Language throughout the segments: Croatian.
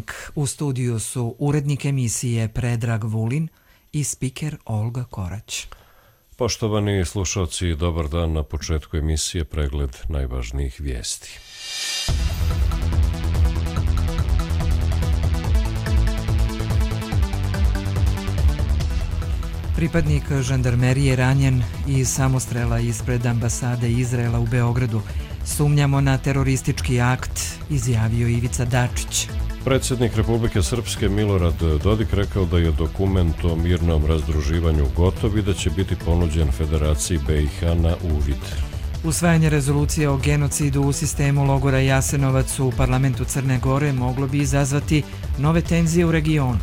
Dnevnik. U studiju su urednik emisije Predrag Vulin i spiker Olga Korać. Poštovani slušalci, dobar dan. Na početku emisije pregled najvažnijih vijesti. Pripadnik žandarmerije ranjen iz samostrela ispred ambasade Izraela u Beogradu. Sumnjamo na teroristički akt, izjavio Ivica Dačić. Predsjednik Republike Srpske Milorad Dodik rekao da je dokument o mirnom razdruživanju gotov i da će biti ponuđen Federaciji BiH na uvid. Usvajanje rezolucije o genocidu u sistemu logora Jasenovac u parlamentu Crne Gore moglo bi izazvati nove tenzije u regionu.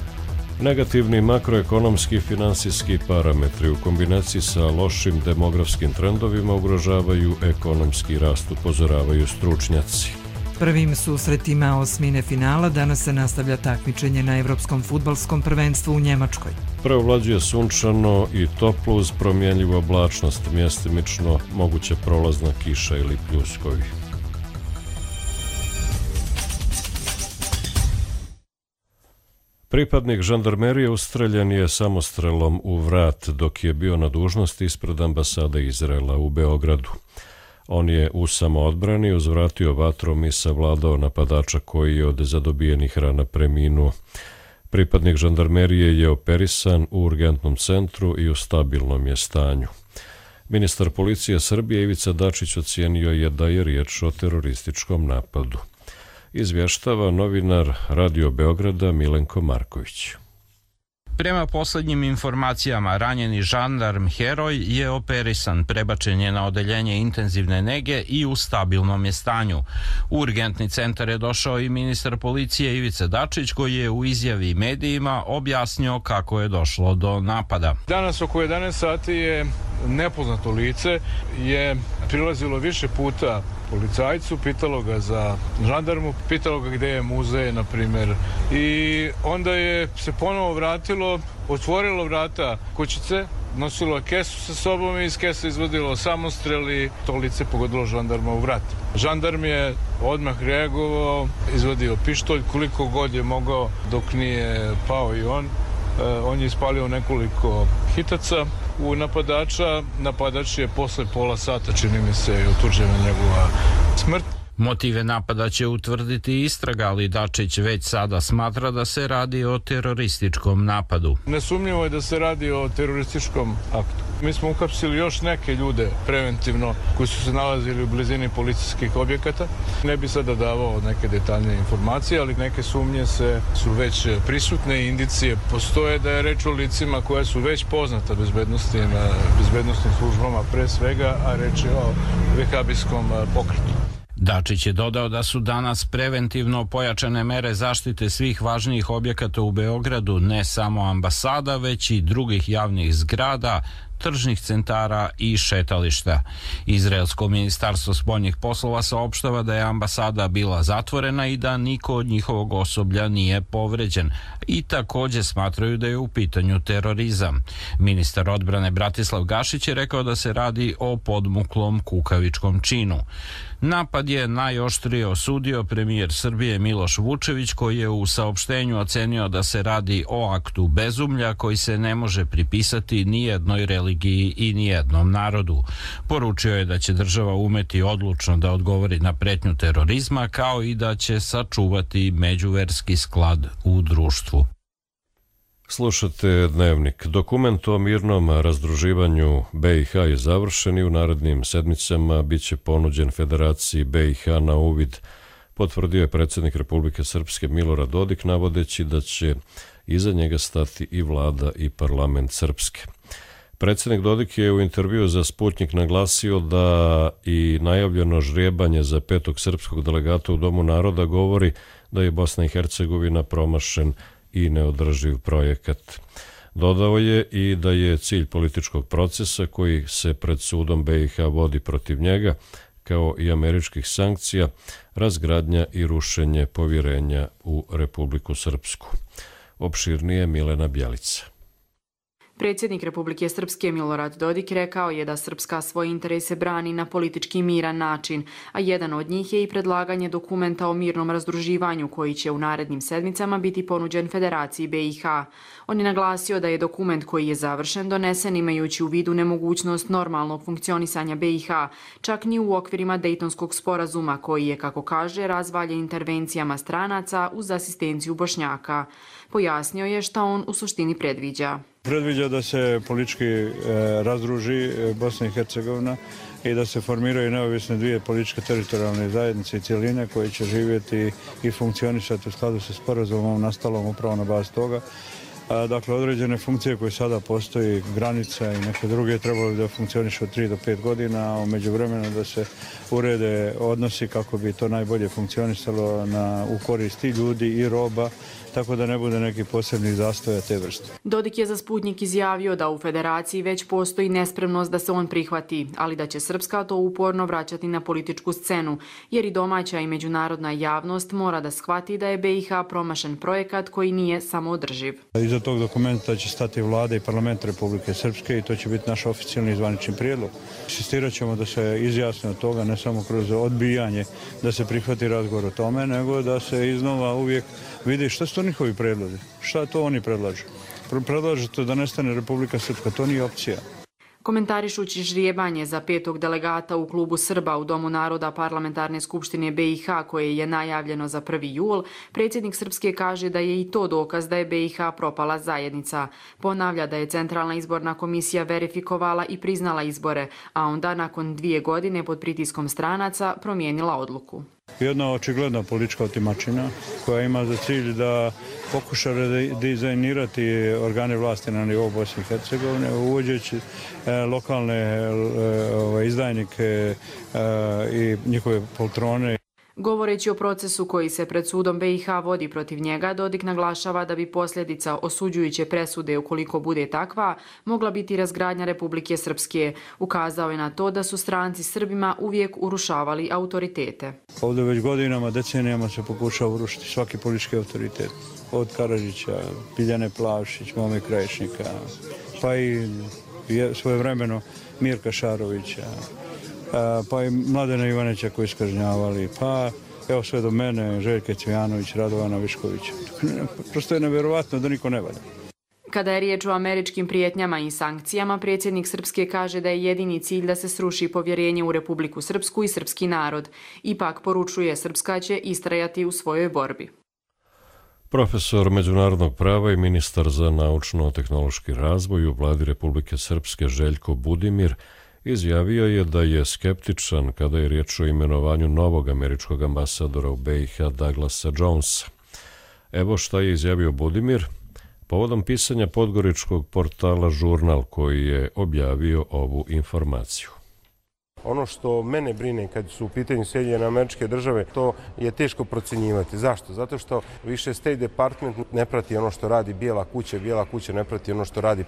Negativni makroekonomski i finansijski parametri u kombinaciji sa lošim demografskim trendovima ugrožavaju ekonomski rast, upozoravaju stručnjaci. Prvim susretima osmine finala danas se nastavlja takmičenje na Evropskom fudbalskom prvenstvu u Njemačkoj. Preovlađuje sunčano i toplo uz promjenjivu oblačnost, mjestimično moguće prolazna kiša ili pljuskovi. Pripadnik žandarmerije ustreljen je samostrelom u vrat dok je bio na dužnosti ispred ambasade Izraela u Beogradu. On je u samoodbrani uzvratio vatrom i savladao napadača koji je od zadobijenih rana preminuo. Pripadnik žandarmerije je operisan u urgentnom centru i u stabilnom je stanju. Ministar policije Srbije Ivica Dačić ocijenio je da je riječ o terorističkom napadu. Izvještava novinar Radio Beograda Milenko Marković. Prema posljednjim informacijama, ranjeni žandarm Heroj je operisan, prebačen je na odeljenje intenzivne nege i u stabilnom je stanju. U urgentni centar je došao i ministar policije Ivica Dačić, koji je u izjavi medijima objasnio kako je došlo do napada. Danas oko 11 sati je nepoznato lice je prilazilo više puta policajcu, pitalo ga za žandarmu, pitalo ga gdje je muzej, na primjer. I onda je se ponovo vratilo, otvorilo vrata kućice, nosilo je kesu sa sobom i iz kese izvodilo samostrel i to lice pogodilo žandarma u vrat. Žandarm je odmah reagovao, izvadio pištolj koliko god je mogao dok nije pao i on. On je ispalio nekoliko hitaca u napadača. Napadač je posle pola sata, čini mi se, utvrđena njegova smrt. Motive napada će utvrditi istraga, ali Dačić već sada smatra da se radi o terorističkom napadu. Nesumnjivo je da se radi o terorističkom aktu. Mi smo uhapsili još neke ljude preventivno koji su se nalazili u blizini policijskih objekata. Ne bi sada davao neke detaljne informacije, ali neke sumnje su već prisutne i indicije postoje da je reč o licima koja su već poznata bezbednostnim službama pre svega, a reč je o vehabijskom pokretu. Dačić je dodao da su danas preventivno pojačane mere zaštite svih važnijih objekata u Beogradu, ne samo ambasada, već i drugih javnih zgrada, tržnih centara i šetališta. Izraelsko ministarstvo spoljnih poslova saopštava da je ambasada bila zatvorena i da niko od njihovog osoblja nije povređen i također smatraju da je u pitanju terorizam. Ministar odbrane Bratislav Gašić je rekao da se radi o podmuklom kukavičkom činu. Napad je najoštrije osudio premijer Srbije Miloš Vučević, koji je u saopštenju ocenio da se radi o aktu bezumlja koji se ne može pripisati ni jednoj religiji i ni jednom narodu. Poručio je da će država umeti odlučno da odgovori na pretnju terorizma, kao i da će sačuvati međuverski sklad u društvu. Slušate Dnevnik. Dokument o mirnom razdruživanju BiH je završen i u narednim sedmicama bit će ponuđen Federaciji BiH na uvid, potvrdio je predsjednik Republike Srpske Milorad Dodik, navodeći da će iza njega stati i vlada i parlament Srpske. Predsjednik Dodik je u intervjuu za Sputnjik naglasio da i najavljeno žrijebanje za 5. srpskog delegata u Domu naroda govori da je Bosna i Hercegovina promašen i neodrživ projekat. Dodao je i da je cilj političkog procesa koji se pred sudom BiH vodi protiv njega, kao i američkih sankcija, razgradnja i rušenje povjerenja u Republiku Srpsku. Opširnije Milena Bjelica. Predsjednik Republike Srpske Milorad Dodik rekao je da Srpska svoje interese brani na politički miran način, a jedan od njih je i predlaganje dokumenta o mirnom razdruživanju koji će u narednim sedmicama biti ponuđen Federaciji BiH. On je naglasio da je dokument koji je završen donesen imajući u vidu nemogućnost normalnog funkcionisanja BiH, čak ni u okvirima Dejtonskog sporazuma koji je, kako kaže, razvaljen intervencijama stranaca uz asistenciju Bošnjaka. Pojasnio je šta on u suštini predviđa. Predviđa da se politički razdruži Bosna i Hercegovina i da se formiraju neovisne dvije političke teritorijalne zajednice i cjeline koje će živjeti i funkcionisati u skladu sa sporazumom nastalom upravo na bazi toga. Dakle, određene funkcije koje sada postoji, granica i neke druge, trebalo da funkcionišu od 3 do 5 godina, a u međuvremenu da se urede odnosi kako bi to najbolje funkcionisalo u korist i ljudi i roba, tako da ne bude neki posebni zastoja te vrste. Dodik je za Sputnik izjavio da u Federaciji već postoji nespremnost da se on prihvati, ali da će Srpska to uporno vraćati na političku scenu, jer i domaća i međunarodna javnost mora da shvati da je BiH promašen projekat koji nije samoodrživ. Iza tog dokumenta će stati vlada i parlament Republike Srpske i to će biti naš oficijalni i zvanični prijedlog. Insistirat ćemo da se izjasne od toga, ne samo kroz odbijanje da se prihvati razgovor o tome, nego da se iznova uvijek vidi šta su to njihovi predlozi, šta to oni predlažu. Predlažu to da nestane Republika Srpska, to nije opcija. Komentarišući ždrijebanje za 5. delegata u klubu Srba u Domu naroda Parlamentarne skupštine BiH koje je najavljeno za 1. jul, predsjednik Srpske kaže da je i to dokaz da je BiH propala zajednica. Ponavlja da je Centralna izborna komisija verifikovala i priznala izbore, a onda nakon 2 godine pod pritiskom stranaca promijenila odluku. Jedna očigledna politička otimačina koja ima za cilj da pokuša dizajnirati organe vlasti na nivou Bosne i Hercegovine, uvođeći lokalne izdajnike i njihove poltrone. Govoreći o procesu koji se pred sudom BiH vodi protiv njega, Dodik naglašava da bi posljedica osuđujuće presude, ukoliko bude takva, mogla biti razgradnja Republike Srpske. Ukazao je na to da su stranci Srbima uvijek urušavali autoritete. Ovdje već godinama, decenijama se pokušava urušiti svaki politički autoritet. Od Karadžića, Biljane Plavšić, Mome Krajišnika, pa i svojevremeno Mirka Šarovića, pa i Mladena Ivanića koji su kažnjavali, pa evo sve do mene, Željke Cvijanović, Radovana Viškovića. Prosto je nevjerovatno da niko ne valja. Kada je riječ o američkim prijetnjama i sankcijama, predsjednik Srpske kaže da je jedini cilj da se sruši povjerenje u Republiku Srpsku i srpski narod. Ipak poručuje Srpska će istrajati u svojoj borbi. Profesor međunarodnog prava i ministar za naučno-tehnološki razvoj u vladi Republike Srpske Željko Budimir izjavio je da je skeptičan kada je riječ o imenovanju novog američkog ambasadora u BiH Douglasa Jonesa. Evo šta je izjavio Budimir povodom pisanja podgoričkog portala Žurnal koji je objavio ovu informaciju. Ono što mene brine kad su u pitanju Sjedinjene Američke Države, to je teško procjenjivati. Zašto? Zato što više State Department ne prati ono što radi Bijela kuća ne prati ono što radi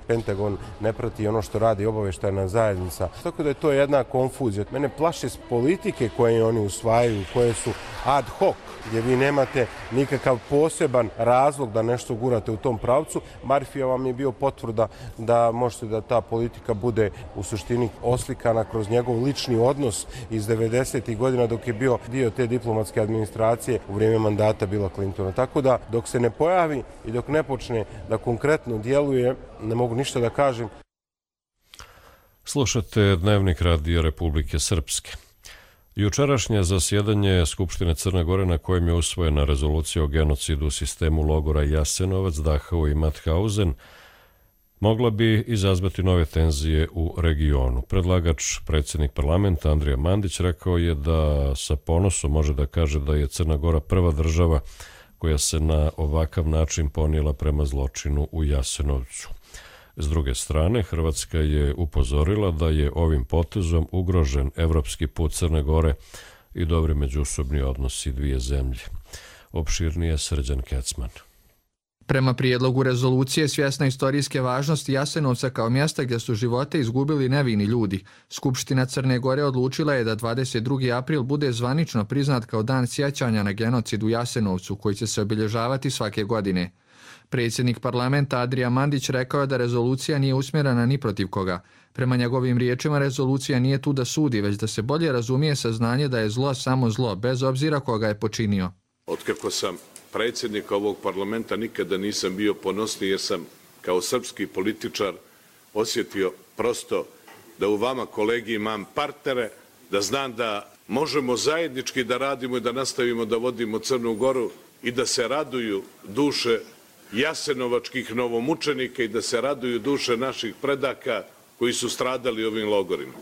Pentagon ne prati ono što radi obavještajna zajednica. Tako da je to jedna konfuzija. Mene plaše s politike koje oni usvajaju, koje su ad hoc, gdje vi nemate nikakav poseban razlog da nešto gurate u tom pravcu. Marfija vam je bio potvrda da možete da ta politika bude u suštini oslikana kroz njegov lični odnos iz 90. godina dok je bio dio te diplomatske administracije u vrijeme mandata Billa Clintona. Tako da dok se ne pojavi i dok ne počne da konkretno djeluje, ne mogu ništa da kažem. Slušate Dnevnik Radija Republike Srpske. Jučerašnje zasjedanje Skupštine Crne Gore na kojem je usvojena rezolucija o genocidu u sistemu logora Jasenovac, Dachau i Mauthausen mogla bi izazvati nove tenzije u regionu. Predlagač, predsjednik parlamenta Andrija Mandić, rekao je da sa ponosom može da kaže da je Crna Gora prva država koja se na ovakav način ponijela prema zločinu u Jasenovcu. S druge strane, Hrvatska je upozorila da je ovim potezom ugrožen evropski put Crne Gore i dobri međusobni odnosi dvije zemlje. Opširnije Srđan Kecman. Prema prijedlogu rezolucije svjesna istorijske važnosti Jasenovca kao mjesta gdje su živote izgubili nevini ljudi, Skupština Crne Gore odlučila je da 22. april bude zvanično priznat kao dan sjećanja na genocid u Jasenovcu koji će se obilježavati svake godine. Predsjednik parlamenta Adrija Mandić rekao je da rezolucija nije usmjerena ni protiv koga. Prema njegovim riječima, rezolucija nije tu da sudi, već da se bolje razumije saznanje da je zlo samo zlo, bez obzira koga je počinio. Otkako sam predsjednik ovog parlamenta nikada nisam bio ponosniji jer sam kao srpski političar osjetio prosto da u vama, kolegi, imam partnere, da znam da možemo zajednički da radimo i da nastavimo da vodimo Crnu Goru i da se raduju duše jasenovačkih novomučenika i da se raduju duše naših predaka koji su stradali u ovim logorima.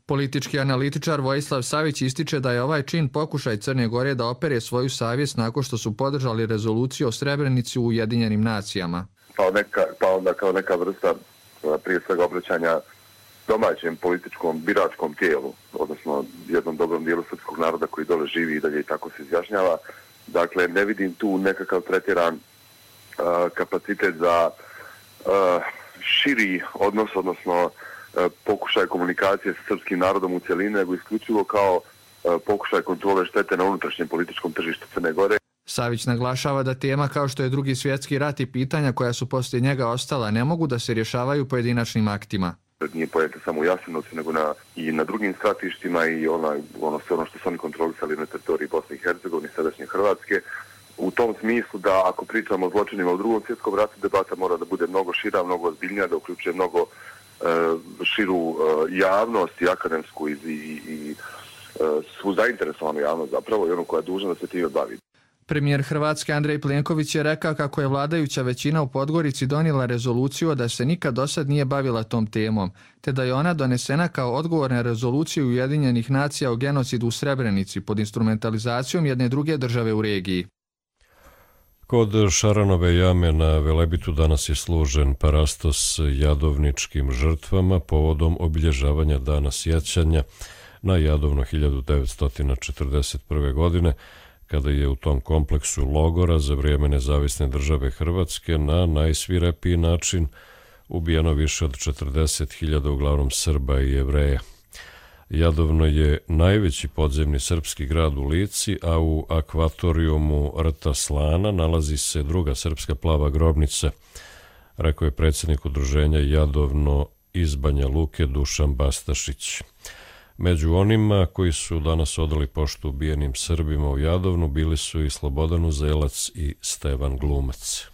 Politički analitičar Vojislav Savić ističe da je ovaj čin pokušaj Crne Gore da opere svoju savjest nakon što su podržali rezoluciju o Srebrenici u Ujedinjenim nacijama. Pa onda kao neka vrsta prije svega obraćanja domaćem političkom biračkom tijelu, odnosno jednom dobrom dijelu srpskog naroda koji dole živi i dalje i tako se izjašnjava. Dakle, ne vidim tu nekakav tretiran kapacitet za širi odnos, odnosno pokušaj komunikacije sa srpskim narodom u cjelini, nego isključivo kao pokušaj kontrole štete na unutrašnjem političkom tržištu Crne Gore. Savić naglašava da tema kao što je Drugi svjetski rat i pitanja koja su poslije njega ostala ne mogu da se rješavaju pojedinačnim aktima. Nije pojenta samo u Jasenovcu, nego i na drugim stratištima i ono što su oni kontrolisali na teritoriji Bosne i Hercegovine, sadašnje Hrvatske. U tom smislu da ako pričamo o zločinima u Drugom svjetskom ratu, debata mora da bude mnogo šira, mnogo ozbiljnija, da uključuje mnogo širu javnost i akademsku i svu zainteresovanu javnost zapravo i onu koja je dužna da se time bavi. Premijer Hrvatske Andrej Plenković je rekao kako je vladajuća većina u Podgorici donijela rezoluciju da se nikad dosad nije bavila tom temom, te da je ona donesena kao odgovor na rezoluciju Ujedinjenih nacija o genocidu u Srebrenici pod instrumentalizacijom jedne druge države u regiji. Kod Šaranove jame na Velebitu danas je služen parastos jadovničkim žrtvama povodom obilježavanja dana sjećanja na Jadovno 1941. godine, kada je u tom kompleksu logora za vrijeme nezavisne države Hrvatske na najsvirepiji način ubijeno više od 40.000 uglavnom Srba i Jevreja. Jadovno je najveći podzemni srpski grad u Lici, a u akvatorijumu rta Slana nalazi se druga srpska plava grobnica, rekao je predsjednik udruženja Jadovno iz Banja Luke Dušan Bastašić. Među onima koji su danas odali poštu ubijenim Srbima u Jadovnu bili su i Slobodan Uzelac i Stevan Glumac.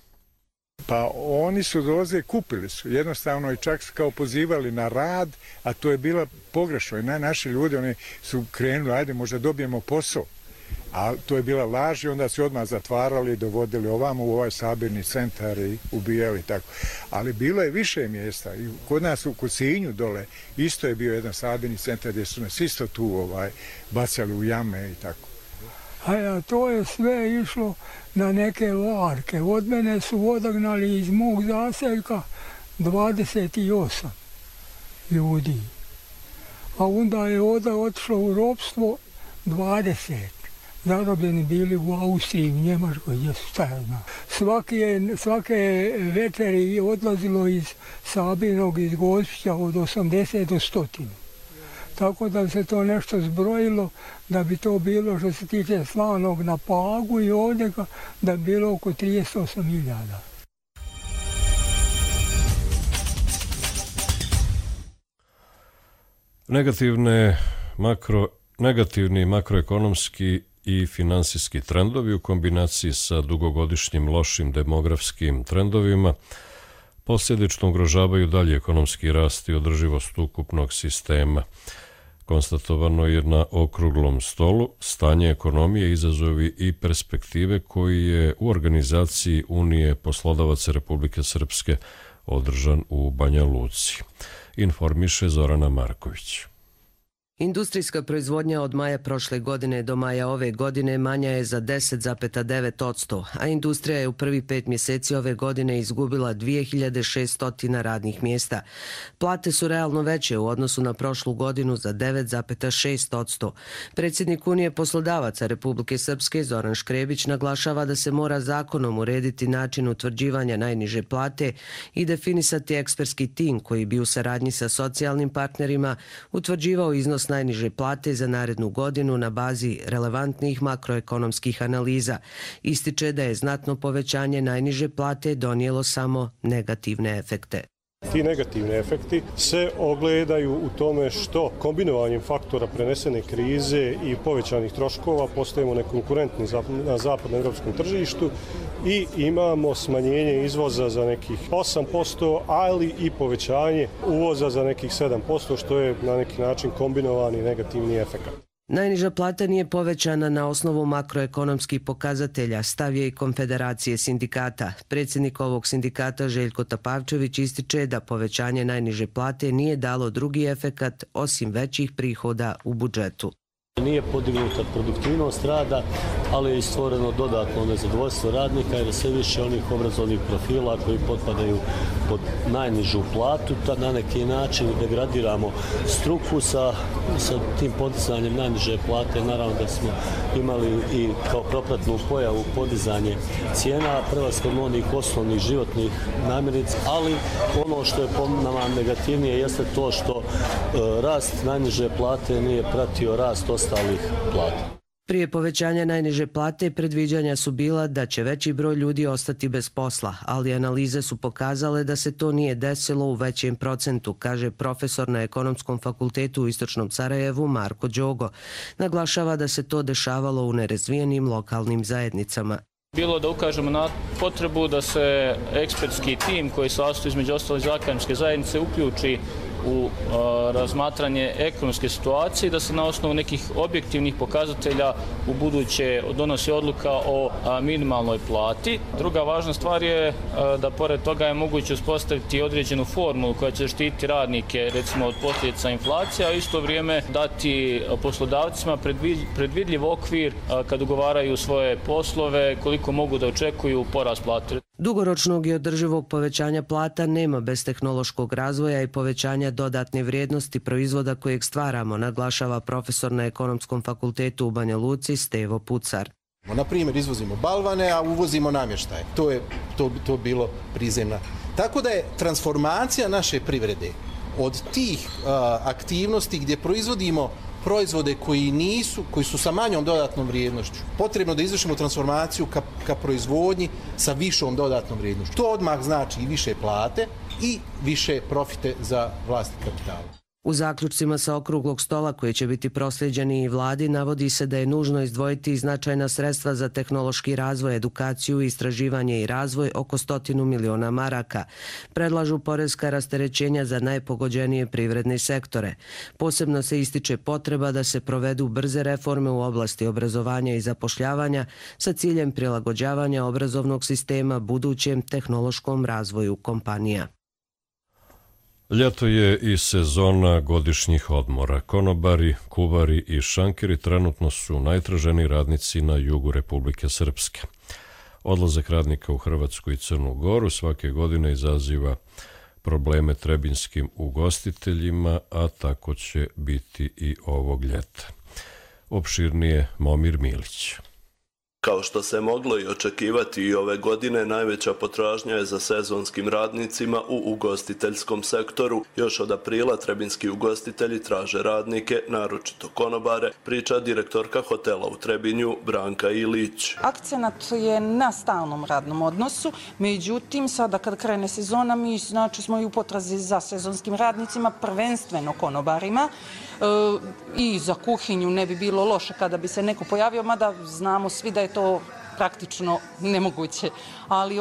Pa oni su dolaze, kupili su, jednostavno i čak kao pozivali na rad, a to je bila pogrešno. I naši ljudi, oni su krenuli, ajde možda dobijemo posao, a to je bila laž i onda su odmah zatvarali, dovodili ovamo u ovaj sabirni centar i ubijali tako. Ali bilo je više mjesta i kod nas u Sinju dole isto je bio jedan sabirni centar gdje su nas isto tu bacali u jame i tako. A to je sve išlo na neke varke. Od mene su odagnali iz mog zaseljka 28 ljudi. A onda je otišlo u ropstvo 20. Zarobljeni bili u Austriji, u Njemačkoj, gdje su stajali. Svake večeri je odlazilo iz Sabinog, iz Gospića od 80 do 100. Tako da se to nešto zbrojilo, da bi to bilo što se tiče Slanog na Pagu i ovdje, da bi bilo oko 38.000. Negativni makroekonomski i finansijski trendovi u kombinaciji sa dugogodišnjim lošim demografskim trendovima posljedično ugrožavaju dalje ekonomski rast i održivost ukupnog sistema. Konstatovano je na okruglom stolu stanje ekonomije, izazovi i perspektive koji je u organizaciji Unije poslodavaca Republike Srpske održan u Banja Luci. Informiše Zorana Marković. Industrijska proizvodnja od maja prošle godine do maja ove godine manja je za 10,9%, a industrija je u prvi 5 mjeseci ove godine izgubila 2600 radnih mjesta. Plate su realno veće u odnosu na prošlu godinu za 9,6%. Predsjednik Unije poslodavaca Republike Srpske Zoran Škrebić naglašava da se mora zakonom urediti način utvrđivanja najniže plate i definisati ekspertski tim koji bi u saradnji sa socijalnim partnerima utvrđivao iznos najniže plate za narednu godinu na bazi relevantnih makroekonomskih analiza. Ističe da je znatno povećanje najniže plate donijelo samo negativne efekte. Ti negativni efekti se ogledaju u tome što kombinovanjem faktora prenesene krize i povećanih troškova postajemo nekonkurentni na zapadnoevropskom tržištu i imamo smanjenje izvoza za nekih 8%, ali i povećanje uvoza za nekih 7%, što je na neki način kombinovani negativni efekt. Najniža plata nije povećana na osnovu makroekonomskih pokazatelja, stav je i Konfederacije sindikata. Predsjednik ovog sindikata Željko Tapavčević ističe da povećanje najniže plate nije dalo drugi efekat osim većih prihoda u budžetu. Nije podignuta produktivnost rada, ali je i stvoreno dodatno nezadovoljstvo radnika jer sve više onih obrazovnih profila koji potpadaju pod najnižu platu. Na neki način degradiramo struku sa tim podizanjem najniže plate. Naravno da smo imali i kao propratnu pojavu podizanje cijena, prelaskom onih osnovnih životnih namirnica, ali ono što je po nama negativnije jeste to što rast najniže plate nije pratio rast ostalih plata. Prije povećanja najniže plate predviđanja su bila da će veći broj ljudi ostati bez posla, ali analize su pokazale da se to nije desilo u većem procentu, kaže profesor na Ekonomskom fakultetu u Istočnom Sarajevu Marko Đogo. Naglašava da se to dešavalo u nerazvijenim lokalnim zajednicama. Bilo da ukažemo na potrebu da se ekspertski tim koji se sastoji između ostalih iz akademske zajednice uključi u razmatranje ekonomske situacije i da se na osnovu nekih objektivnih pokazatelja u buduće donosi odluka o minimalnoj plati. Druga važna stvar je da pored toga je moguće uspostaviti određenu formulu koja će štititi radnike recimo od posljedica inflacija, a isto vrijeme dati poslodavcima predvidljiv okvir kad ugovaraju svoje poslove, koliko mogu da očekuju porast plate. Dugoročnog i održivog povećanja plata nema bez tehnološkog razvoja i povećanja dodatne vrijednosti proizvoda kojeg stvaramo, naglašava profesor na Ekonomskom fakultetu u Banja Luci Stevo Pucar. Na primjer, izvozimo balvane, a uvozimo namještaje. To bilo prizemna. Tako da je transformacija naše privrede od tih aktivnosti gdje proizvodimo proizvode koji su sa manjom dodatnom vrijednošću. Potrebno da izvršimo transformaciju ka proizvodnji sa višom dodatnom vrijednošću. To odmah znači i više plate i više profite za vlasnik kapitala. U zaključcima sa okruglog stola koji će biti proslijeđeni i vladi navodi se da je nužno izdvojiti značajna sredstva za tehnološki razvoj, edukaciju, istraživanje i razvoj oko 100 miliona maraka. Predlažu poreska rasterećenja za najpogođenije privredne sektore. Posebno se ističe potreba da se provedu brze reforme u oblasti obrazovanja i zapošljavanja sa ciljem prilagođavanja obrazovnog sistema budućem tehnološkom razvoju kompanija. Ljeto je i sezona godišnjih odmora. Konobari, kuvari i šankeri trenutno su najtraženiji radnici na jugu Republike Srpske. Odlazak radnika u Hrvatsku i Crnu Goru svake godine izaziva probleme trebinskim ugostiteljima, a tako će biti i ovog ljeta. Opširnije Momir Milić. Kao što se moglo i očekivati i ove godine, najveća potražnja je za sezonskim radnicima u ugostiteljskom sektoru. Još od aprila trebinski ugostitelji traže radnike, naročito konobare, priča direktorka hotela u Trebinju Branka Ilić. Akcenat je na stalnom radnom odnosu, međutim sada kad krene sezona mi smo i u potrazi za sezonskim radnicima, prvenstveno konobarima. I za kuhinju ne bi bilo loše kada bi se neko pojavio, mada znamo svi da je to praktično nemoguće. Ali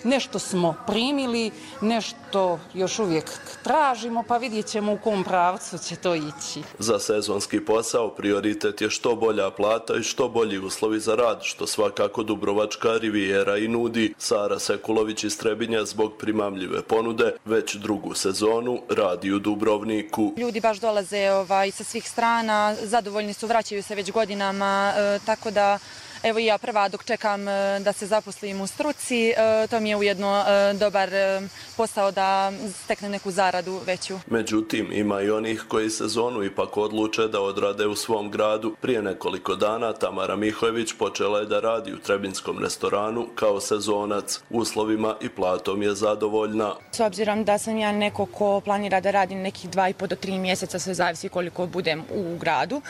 nešto smo primili, nešto još uvijek tražimo, pa vidjet ćemo u kom pravcu će to ići. Za sezonski posao prioritet je što bolja plata i što bolji uslovi za rad, što svakako Dubrovačka rivijera i nudi. Sara Sekulović iz Trebinja zbog primamljive ponude već drugu sezonu radi u Dubrovniku. Ljudi baš dolaze sa svih strana, zadovoljni su, vraćaju se već godinama, tako da Evo i ja prva dok čekam da se zaposlim u struci, to mi je ujedno dobar posao da steknem neku zaradu veću. Međutim, ima i onih koji sezonu ipak odluče da odrade u svom gradu. Prije nekoliko dana Tamara Mihojević počela je da radi u trebinskom restoranu kao sezonac. Uslovima i platom je zadovoljna. S obzirom da sam ja neko ko planira da radi nekih 2,5 do 3 mjeseca, sve zavisi koliko budem u gradu,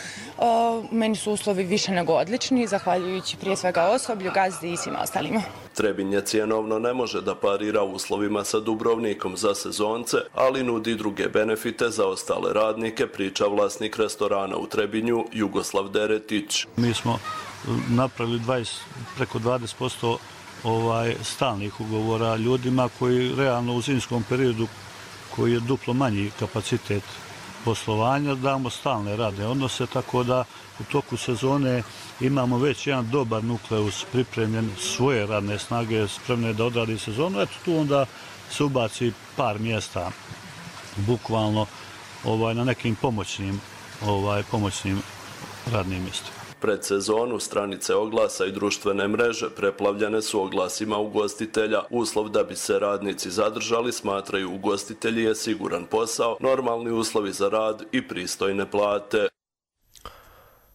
meni su uslovi više nego odlični, zahvaljujući prije svega osoblju, gazdi i svima ostalima. Trebinj je cjenovno ne može da parira uslovima sa Dubrovnikom za sezonce, ali nudi druge benefite za ostale radnike, priča vlasnik restorana u Trebinju Jugoslav Deretić. Mi smo napravili preko 20% stalnih ugovora ljudima koji realno u zimskom periodu, koji je duplo manji kapacitet poslovanja, damo stalne radne odnose, tako da u toku sezone imamo već jedan dobar nukleus pripremljen, svoje radne snage spremne da odradi sezonu. Eto tu onda se ubaci par mjesta bukvalno na nekim pomoćnim radnim mjestima. Pred sezonu stranice oglasa i društvene mreže preplavljene su oglasima ugostitelja. Uslov da bi se radnici zadržali, smatraju ugostitelji, je siguran posao, normalni uslovi za rad i pristojne plate.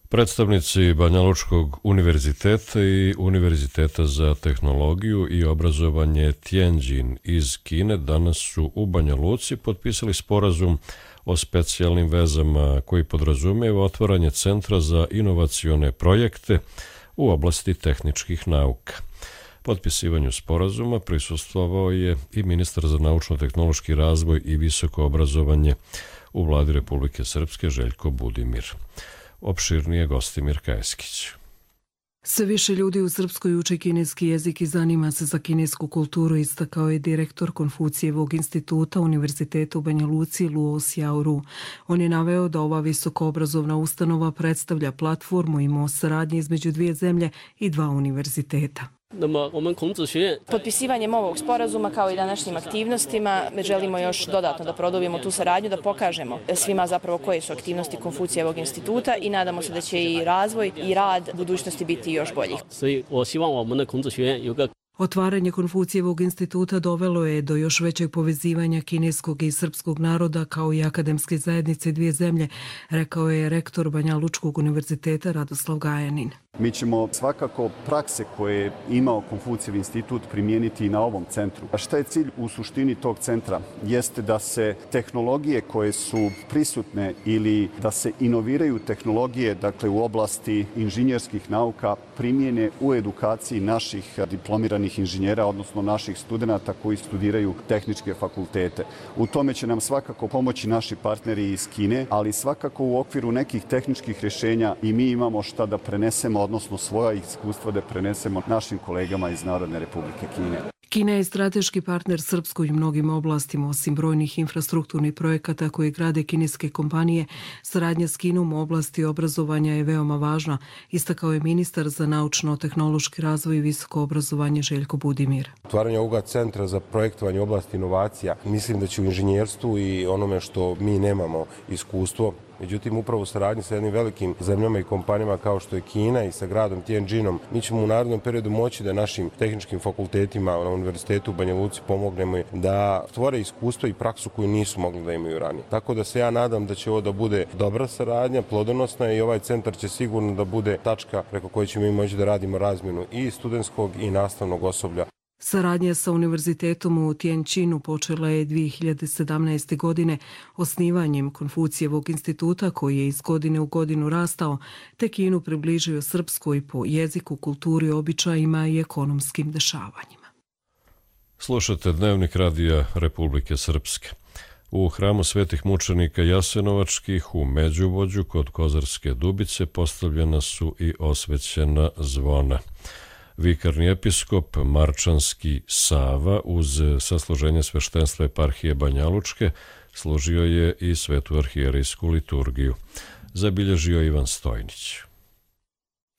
Predstavnici Banjalučkog univerziteta i Univerziteta za tehnologiju i obrazovanje Tianjin iz Kine danas su u Banja Luci potpisali sporazum o specijalnim vezama koji podrazumijeva otvaranje Centra za inovacione projekte u oblasti tehničkih nauka. Potpisivanju sporazuma prisustvovao je i ministar za naučno-tehnološki razvoj i visoko obrazovanje u Vladi Republike Srpske Željko Budimir. Opširnije Gostimir Kajeskić. Sve više ljudi u Srpskoj uče kineski jezik i zanima se za kinesku kulturu, istakao je direktor Konfucijevog instituta Univerziteta u Banja Luci Luo Xiaoru. On je naveo da ova visokoobrazovna ustanova predstavlja platformu i most saradnje između dvije zemlje i dva univerziteta. Potpisivanjem ovog sporazuma kao i današnjim aktivnostima želimo još dodatno da produbimo tu saradnju, da pokažemo svima zapravo koje su aktivnosti Konfucijevog instituta i nadamo se da će i razvoj i rad budućnosti biti još bolji. Otvaranje Konfucijevog instituta dovelo je do još većeg povezivanja kineskog i srpskog naroda kao i akademske zajednice dvije zemlje, rekao je rektor Banja Lučkog univerziteta Radoslav Gajanin. Mi ćemo svakako prakse koje je imao Konfucijev institut primijeniti i na ovom centru. A šta je cilj u suštini tog centra? Jeste da se tehnologije koje su prisutne ili da se inoviraju tehnologije, dakle u oblasti inženjerskih nauka, primijene u edukaciji naših diplomiranih inženjera, odnosno naših studenata koji studiraju tehničke fakultete. U tome će nam svakako pomoći naši partneri iz Kine, ali svakako u okviru nekih tehničkih rješenja i mi imamo šta da prenesemo, odnosno svoja iskustva da prenesemo našim kolegama iz Narodne Republike Kine. Kina je strateški partner Srpskoj u mnogim oblastima, osim brojnih infrastrukturnih projekata koje grade kineske kompanije. Saradnja s Kinom u oblasti obrazovanja je veoma važna, istakao je ministar za naučno-tehnološki razvoj i visoko obrazovanje Željko Budimir. Otvaranje ovoga centra za projektovanje u oblasti inovacija, mislim da će u inženjerstvu i onome što mi nemamo iskustvo, međutim, upravo u saradnji sa jednim velikim zemljama i kompanijama kao što je Kina i sa gradom Tianjinom, mi ćemo u narednom periodu moći da našim tehničkim fakultetima na Univerzitetu u Banja Luci pomognemo da stvore iskustvo i praksu koju nisu mogli da imaju ranije. Tako da se ja nadam da će ovo da bude dobra saradnja, plodonosna i ovaj centar će sigurno da bude tačka preko koje ćemo mi moći da radimo razmjenu i studentskog i nastavnog osoblja. Saradnja sa univerzitetom u Tianjinu počela je 2017. godine osnivanjem Konfucijevog instituta koji je iz godine u godinu rastao, te Kinu približio Srpskoj po jeziku, kulturi, običajima i ekonomskim dešavanjima. Slušate Dnevnik radija Republike Srpske. U hramu svetih mučenika Jasenovačkih u Međuvođu kod Kozarske Dubice postavljena su i osvećena zvona. Vikarni episkop Marčanski Sava uz sasluženje sveštenstva eparhije Banjalučke služio je i svetu arhijerejsku liturgiju. Zabilježio Ivan Stojnić.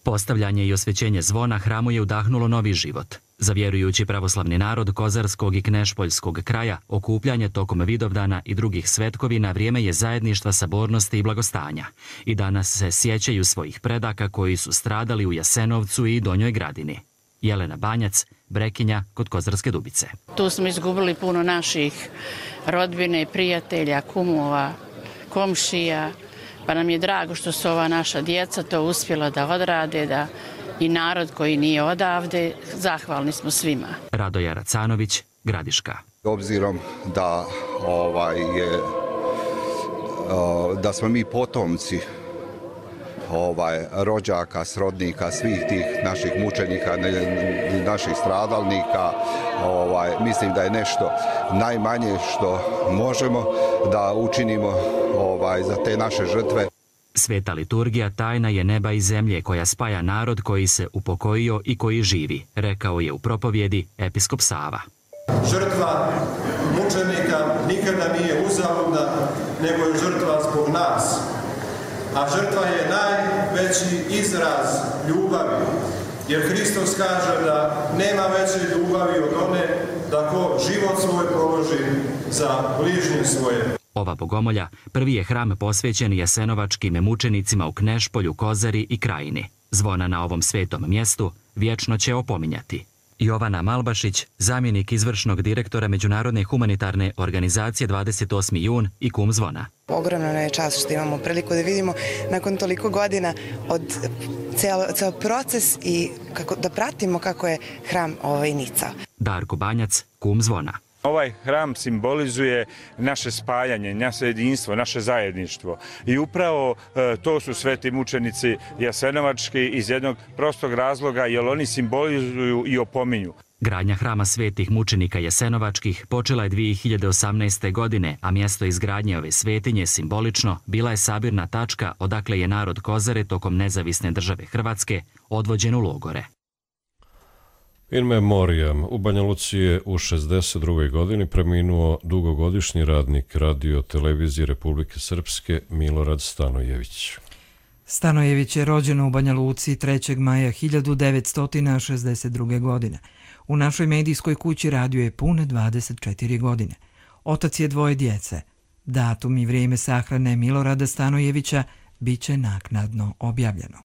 Postavljanje i osvećenje zvona hramu je udahnulo novi život. Za vjerujući pravoslavni narod kozarskog i knešpoljskog kraja, okupljanje tokom Vidovdana i drugih svetkovina vrijeme je zajedništva, sabornosti i blagostanja. I danas se sjećaju svojih predaka koji su stradali u Jasenovcu i Donjoj Gradini. Jelena Banjac, Brekinja kod Kozarske Dubice. Tu smo izgubili puno naših rodbine, prijatelja, kumova, komšija, pa nam je drago što su ova naša djeca to uspjela da odrade, da i narod koji nije odavde, zahvalni smo svima. Radoja Racanović, Gradiška. Obzirom da smo mi potomci rođaka, srodnika, svih tih naših mučenika, naših stradalnika, mislim da je nešto najmanje što možemo da učinimo za te naše žrtve. Sveta liturgija tajna je neba i zemlje koja spaja narod koji se upokojio i koji živi, rekao je u propovjedi episkop Sava. Žrtva mučenika nikada nije uzaludna, nego je žrtva zbog nas. A žrtva je najveći izraz ljubavi, jer Hristos kaže da nema veće ljubavi od one da ko život svoj položi za bližnje svoje. Ova bogomolja prvi je hram posvećen jasenovačkim mučenicima u Knešpolju, Kozari i Krajini. Zvona na ovom svetom mjestu vječno će opominjati. Jovana Malbašić, zamjenik izvršnog direktora Međunarodne humanitarne organizacije 28. jun i kum zvona. Ogromna je čast što imamo priliku da vidimo nakon toliko godina od ceo proces i da pratimo kako je hram nicao. Darko Banjac, kum zvona. Ovaj hram simbolizuje naše spajanje, naše jedinstvo, naše zajedništvo. I upravo to su sveti mučenici jasenovački iz jednog prostog razloga, jer oni simbolizuju i opominju. Gradnja hrama svetih mučenika jasenovačkih počela je 2018. godine, a mjesto izgradnje ove svetinje simbolično bila je sabirna tačka odakle je narod Kozare tokom nezavisne države Hrvatske odvođen u logore. In memoriam, u Banja Luci je u 62. godini preminuo dugogodišnji radnik radio televizije Republike Srpske Milorad Stanojević. Stanojević je rođen u Banja Luci 3. maja 1962. godine. U našoj medijskoj kući radio je pune 24 godine. Otac je 2 djece. Datum i vrijeme sahrane Milorada Stanojevića bit će naknadno objavljeno.